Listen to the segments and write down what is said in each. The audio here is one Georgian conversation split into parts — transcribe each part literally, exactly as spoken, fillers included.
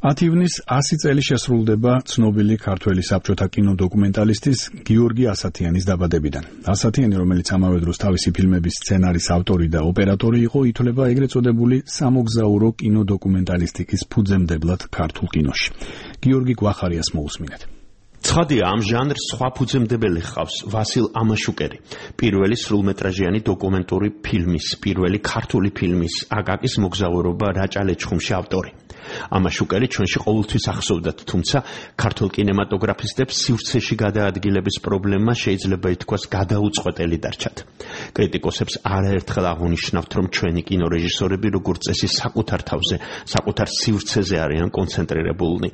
ათი ივნის ასი წელი შესრულდება ცნობილი ქართველი საბჭოთა კინოდოკუმენტალისტის გიორგი ასათიანის დაბადებიდან. ასათიანი, რომელიც ამავე დროს თავისი ფილმების სცენარის ავტორი და ოპერატორი იყო, ითვლება ეგრეთ წოდებული სამოგზაურო კინოდოკუმენტალისტიკის ფუძემდებლად ქართულ კინოში. გიორგი გვახარიას მოусმინეთ. ცხადია, ამ ჟანრს სხვა ფუძემდებელი ჰყავს ვასილ ამაშუკერი, პირველი სრულმეტრაჟიანი დოკუმენტური ფილმის, პირველი ქართული ფილმის აკაკის მოგზაურობა რაჭა-ლეჩხუმში ავტორი. ამაშუკერი ჩვენში ყოველთვის ახსოვდათ, თუმცა ქართულ კინემატოგრაფისტებს სივრცეში გადაადგილების პრობლემა შეიძლება ითქვას გადაუწყვეტელი დარჩათ. კრიტიკოსებს არაერთხელ აღუნიშნავთ, რომ ჩვენი კინორეჟისორები როგორც წესი საკუთარ თავზე, საკუთარ სივრცეზე არიან კონცენტრირებულნი.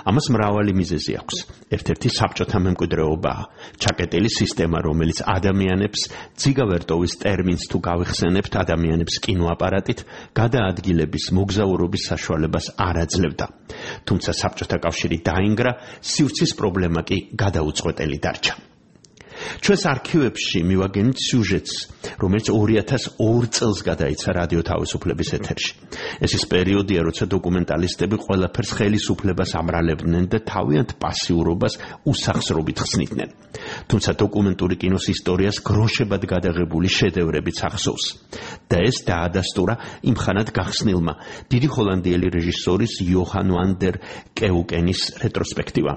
ამას მრავალი მიზეზი აქვს. ერთ-ერთი საბჭოთა მემკვიდრეობაა, ჩაკეტილი სისტემა, რომელიც ადამიანებს ძიგავერტოვის ტერმინს თუ გავიხსენებთ, ადამიანებს კინოაპარატით გადაადგილების, მოგზაურობის საშუალებას არ აძლევდა. თუმცა საბჭოთა კავშირი დაინგრა, სივრცის პრობლემა კი გადაუწყვეტელი დარჩა. ჩვენს არქივებში მივაგენით სიუჟეტს, რომელიც ორი ათას ორ წელს გადაიცა რადიო თავისუფლების ეთერში. ეს ის პერიოდია, როცა დოკუმენტალისტები ყველაფერს ხელისუფლებას ამრალებდნენ და თავიანთ პასიურობას უსახსრობით ხსნიდნენ. თუმცა დოკუმენტური კინოს ისტორიას გროშებად გადაღებული შედევრებიც ახსოვს. და ეს დაადასტურა იმხანად გახსნილმა დიდი ჰოლანდიელი რეჟისორის იოჰან ვან დერ კეუკენის რეტროსპექტივა.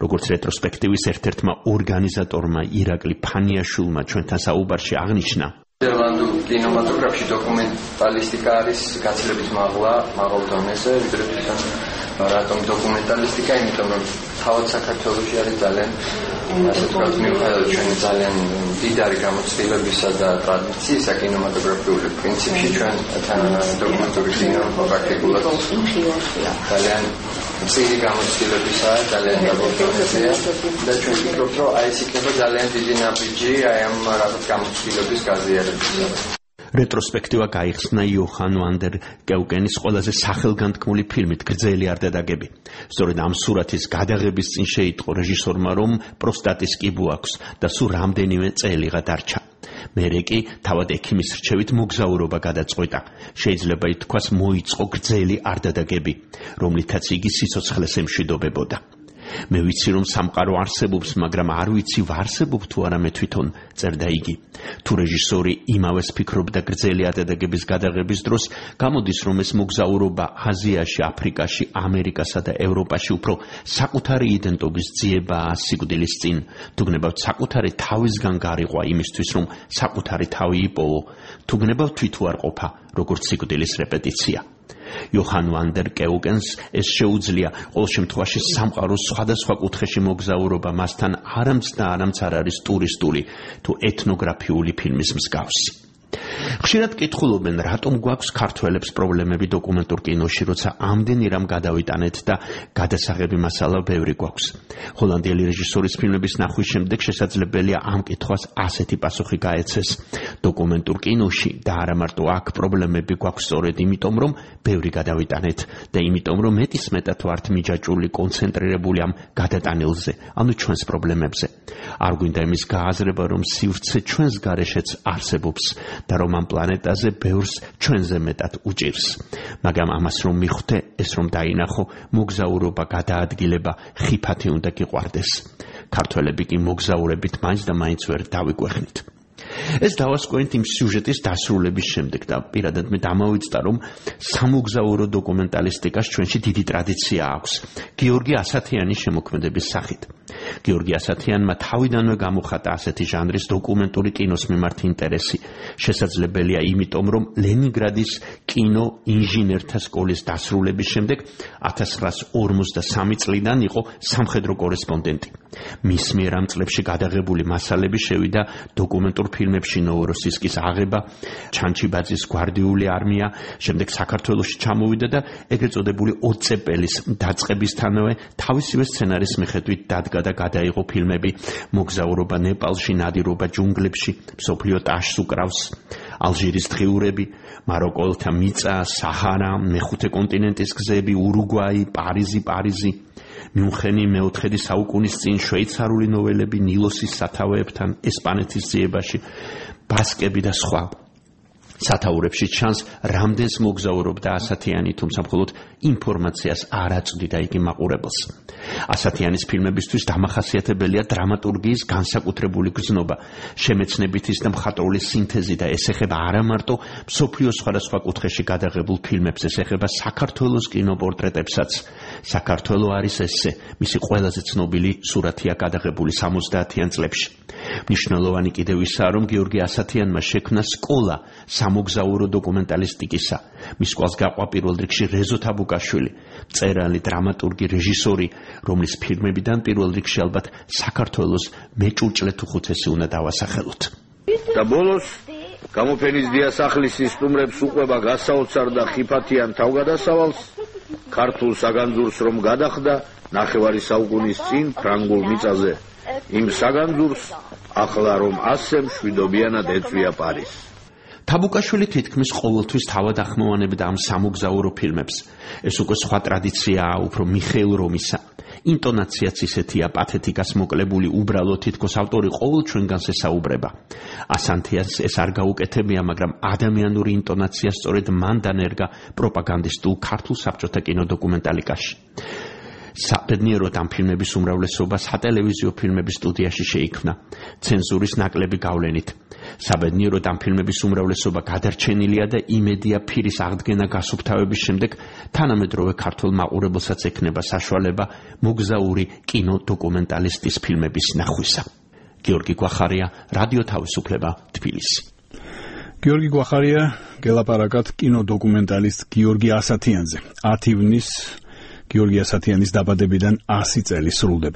როგორც რეტროსპექტივის ერთ-ერთმა ორგანიზატორმა ირაკლი ფანიაშვილმა ჩვენთან საუბარში აღნიშნა, ნიდერლანდურ კინემატოგრაფში დოკუმენტალისტიკა არის გაცილებით მაღლა, მაღალ დონეზე, ვიდრე თვითონ რატომ დოკუმენტალისტიკა, იმიტომ რომ თავად საქართველოში არის ძალიან, ასე ვთქვათ, მიუხედავად ჩვენი ძალიან დიდარი გამოცდილებისა და ტრადიციისა კინემატოგრაფიული პრინციპში, ჩვენ დოკუმენტური კინო პრაქტიკულად ძალიან წირი გამოცდილებისაა, ძალიან გაბოლტონებია და ჩვენ ვფიქრობთ, რომ აი ეს იქნება ძალიან დიდი ნაბიჯი აი ამ რაღაც გამოცდილების გაზიარებისა. რეტროსპექტივა გაიხსნა იოჰან ვან დერ კეუკენის ყველაზე სახელგანთქმული ფილმით გრძელი არდადაგები. სწორედ ამ სურათის გადაღების წინ შეიტყო რეჟისორმა, რომ პროსტატის კიბო აქვს და სულ რამდენიმე წელიღა დარჩა. მერე კი თავად ექიმის რჩევით მოგზაურობა გადაწყვეტა. შეიძლება ითქვას, მოიწყო გრძელი არდადაგები, რომლითაც იგი სიცოცხლეს ემშვიდობებოდა. მე ვიცი, რომ სამყარო არსებობს, მაგრამ არ ვიცი, ვარსებობ თუ არა მე თვითონ, წერდა იგი. თუ რეჟისორი იმავეს ფიქრობდა გრძელი არდადაგების გადაღების დროს, გამოდის, რომ ეს მოგზაურობა აზიაში, აფრიკაში, ამერიკასა და ევროპაში უფრო საკუთარი იდენტობის ძიებაა სიკვდილის წინ. თუგნებავთ საკუთარი თავისგან გარიყვა იმისთვის, რომ საკუთარი თავი იპოვო. თუგნებავთ თვითუარყოფა, როგორც სიკვდილის რეპეტიცია. იოჰან ვან დერ კეუკენს ეს შეუძლია, ყოველ შემთხვევაში სამყაროს სხვადასხვა კუთხეში მოგზაურობა მასთან არამც და არამც არ არის ტურისტული თუ ეთნოგრაფიული ფილმის მსგავსი. ხშირად კითხულობენ, რატომ გვაქვს ქართველებს პრობლემები დოკუმენტურ კინოში, როცა ამდენი რამ გადავიტანეთ და გადასაღები მასალა ბევრი გვაქვს. ჰოლანდიელი რეჟისორის ფილმების ნახვის შემდეგ შესაძლებელია ამ კითხვას ასეთი პასუხი გაეცეს. დოკუმენტურ კინოში და არა მარტო აქ პრობლემები გვაქვს სწორედ იმიტომ, რომ ბევრი გადავიტანეთ და იმიტომ, რომ მეტისმეტად ვართ მიჯაჭვული, კონცენტრირებული ამ გადატანილზე, ანუ ჩვენს პრობლემებზე. არ გვინდა იმის გააზრება, რომ სივრცე ჩვენს გარეშეც არსებობს და რომ ამ პლანეტაზე ბევრს ჩვენზე მეტად უჭირს. მაგრამ ამას რომ მიხვდე, ეს რომ დაინახო, მოგზაურობა, გადაადგილება ხიფათი უნდა გიყვარდეს. ქართველები კი მოგზაურებით მაინც და მაინც ვერ დავიგვეხნით. ეს დავასკვენთ იმ სიუჟეტის დასრულების შემდეგ და პირადად მე დამავიწყდა, რომ სამოგზაურო დოკუმენტალისტიკას ჩვენში დიდი ტრადიცია აქვს, გიორგი ასათიანის შემოქმედების სახით. გიორგი ასათიანმა თავიდანვე გამოხატა ასეთი ჟანრის დოკუმენტური კინოს მიმართ ინტერესი. შესაძლებელია იმიტომ, რომ ლენინგრადის კინო ინჟინერთა სკოლის დასრულების შემდეგ ათას ცხრაას ორმოცდასამი წლიდან იყო სამხედრო კორესპონდენტი. მის მიერ ამ წლებში გადაღებული მასალები შევიდა დოკუმენტურ ფილმებში ნოვოროსისკის აღება, ჩანჩიბაძის გვარდიული არმია, შემდეგ საქართველოში ჩამოვიდა და ეგრეთ წოდებული ოცეპელის დაწყებისთანავე თავისივე სცენარის მიხედვით დადგა და გადაიღო ფილმები მოგზაურობა ნეპალში, ნადირობა ჯუნგლებში, მსოფლიო ტაშს უკრავს, ალჟირის დღიურები, მაროკოლთა მიწა, საჰარა, მეხუთე კონტინენტის გზები, ურუგვაი, პარიზი, პარიზი, მიუნხენი მეოთხედი საუკუნის წინ, შვეიცარიული ნოველები ნილოსის სათავეებთან, ესპანეთის ძიებაში, ბასკები და სხვა. სათაურებში ჩანს, რამდენს მოგზაურობდა ასათიანი, თუმცა მხოლოდ ინფორმაციას არ აწვდიდა იგი მაყურებელს. ასათიანის ფილმებისთვის დამახასიათებელია დრამატურგიის განსაკუთრებული გრძნობა, შემეცნებითის და მხატვრული სინთეზი და ეს ეხება არა მარტო მსოფლიოს სხვადასხვა კუთხეში გადაღებულ ფილმებს, ეს ეხება საქართველოს კინოპორტრეტებსაც. საქართველო არის ესე, მისი ყველაზე ცნობილი სურათია გადაღებული სამოცდაათიან წლებში. მნიშვნელოვანი კიდევ ისაა, რომ გიორგი ასათიანმა შექმნა სკოლა სამოგზაურო დოკუმენტალისტიკისა. მის სკოლას გაყვა პირველ რიგში რეზო თაბუკაშვილი, მწერალი, დრამატურგი, რეჟისორი, რომლის ფილმებიდან პირველ რიგში ალბათ საქართველოს მეჭურჭლე თუ ხუთესი უნდა დავასახელოთ. და ბოლოს გამოფენის დიასახლისი სტუმრებს უყვება გასაოცარ და ხიფათიან თავგადასავალს, ქართულ საგანძურს რომ გადახდა ნახევარი საუკუნის წინ ფრანგულ მიწაზე. იმ საგანძურს ახლა რომ ასე მშვიდობიანად ეწვია პარიზს. თაბუკაშვილი თითქმის ყოველთვის თავად ახმოვანებდა ამ სამოგზაურო ფილმებს. ეს უკვე სხვა ტრადიციაა, უფრო მიხეილ რომისა. ინტონაციაც ისეთია, პათეტიკას მოკლებული, უბრალო, თითქოს ავტორი ყოველ ჩვენგანს ესაუბრება. ასათიანს ეს არ გაუკეთებია, მაგრამ ადამიანური ინტონაცია სწორედ მან დანერგა პროპაგანდისტულ ქართულ საბჭოთა კინოდოკუმენტალიკაში. საბედნიეროდ ამ ფილმების უმრავლესობა სატელევიზიო ფილმების სტუდიაში შეიქმნა, ცენზურის ნაკლები გავლენით. საბედნიეროდ ამ ფილმების უმრავლესობა გადარჩენილია და იმედია ფირის აღდგენა გასუფთავების შემდეგ თანამედროვე ქართულ მაყურებელსაც ექნება საშუალება მოგზაური კინოდოკუმენტალისტის ფილმების ნახვისა. გიორგი გვახარია, რადიო თავისუფლება, თბილისი. გიორგი გვახარია გელაპარაკად კინოდოკუმენტალისტ გიორგი ასათიანზე. ათი ივნის გიორგი ასათიანის დაბადებიდან ასი წელი სრულდება.